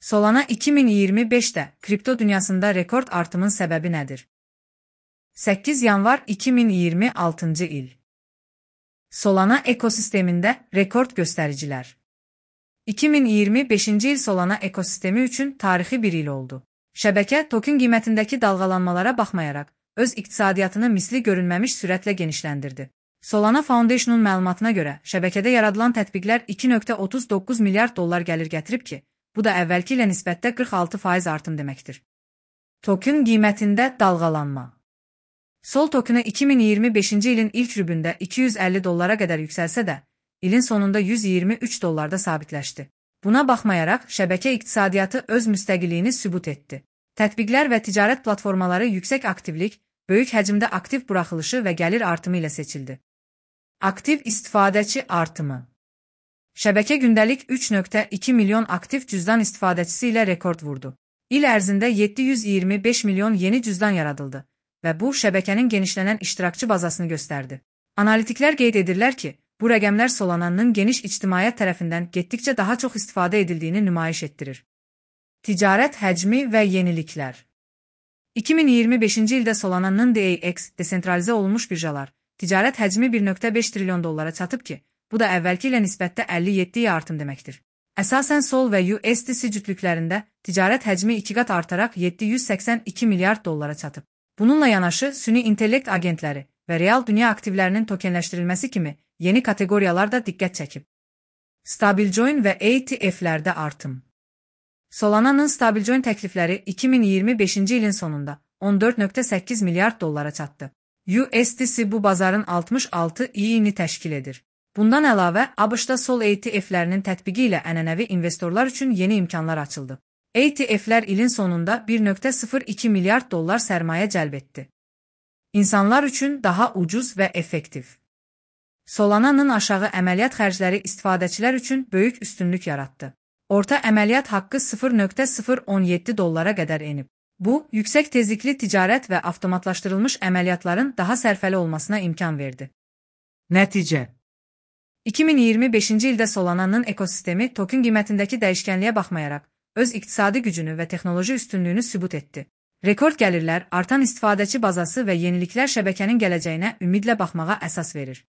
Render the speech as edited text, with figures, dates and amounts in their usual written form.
Solana 2025'də kripto dünyasında rekord artımın səbəbi nədir? 8 yanvar 2026-cı il. Solana ekosistemində rekord göstəricilər. 2025-ci il Solana ekosistemi üçün tarixi bir il oldu. Şəbəkə token qiymətindəki dalğalanmalara baxmayaraq, öz iqtisadiyyatını misli görünməmiş sürətlə genişləndirdi. Solana Foundation'un məlumatına görə, şəbəkədə yaradılan tətbiqlər 2,39 milyard dollar gəlir gətirib ki, bu da əvvəlki ilə nisbətdə 46% artım deməkdir. Token qiymətində dalğalanma. Sol tokeni 2025-ci ilin ilk rübündə 250 dollara qədər yüksəlsə də, ilin sonunda 123 dollarda sabitləşdi. Buna baxmayaraq, şəbəkə iqtisadiyyatı öz müstəqilliyini sübut etdi. Tətbiqlər və ticarət platformaları yüksək aktivlik, böyük həcmdə aktiv buraxılışı və gəlir artımı ilə seçildi. Aktiv istifadəçi artımı. Şəbəkə gündəlik 3,2 milyon aktiv cüzdan istifadəçisi ilə rekord vurdu. İl ərzində 725 milyon yeni cüzdan yaradıldı və bu, şəbəkənin genişlənən iştirakçı bazasını göstərdi. Analitiklər qeyd edirlər ki, bu rəqəmlər Solana'nın geniş ictimaiyyət tərəfindən getdikcə daha çox istifadə edildiyini nümayiş etdirir. Ticarət həcmi və yeniliklər. 2025-ci ildə Solana'nın DAX, desentralizə olunmuş birjalar, ticarət həcmi 1,5 trilyon dollara çatıb ki, bu da əvvəlki ilə nisbətdə 57% artım deməkdir. Əsasən Sol və USDC cütlüklərində ticarət həcmi 2 qat artaraq 782 milyard dollara çatıb. Bununla yanaşı, süni intellekt agentləri və real dünya aktivlərinin tokenləşdirilməsi kimi yeni kateqoriyalar da diqqət çəkib. Stablecoin və ETF'lərdə artım. Solana'nın Stablecoin təklifləri 2025-ci ilin sonunda 14,8 milyard dollara çatdı. USDC bu bazarın 66%-ni təşkil edir. Bundan əlavə, ABŞ-da Sol ETF'lərinin tətbiqi ilə ənənəvi investorlar üçün yeni imkanlar açıldı. ETF'lər ilin sonunda 1,02 milyard dollar sərmayə cəlb etdi. İnsanlar üçün daha ucuz və effektiv. Solana'nın aşağı əməliyyat xərcləri istifadəçilər üçün böyük üstünlük yaratdı. Orta əməliyyat haqqı 0,017 dollara qədər enib. Bu, yüksək tezlikli ticarət və avtomatlaşdırılmış əməliyyatların daha sərfəli olmasına imkan verdi. Nəticə. 2025-ci ildə Solana'nın ekosistemi token qiymətindəki dəyişkənliyə baxmayaraq, öz iqtisadi gücünü və texnoloji üstünlüyünü sübut etdi. Rekord gəlirlər, artan istifadəçi bazası və yeniliklər şəbəkənin gələcəyinə ümidlə baxmağa əsas verir.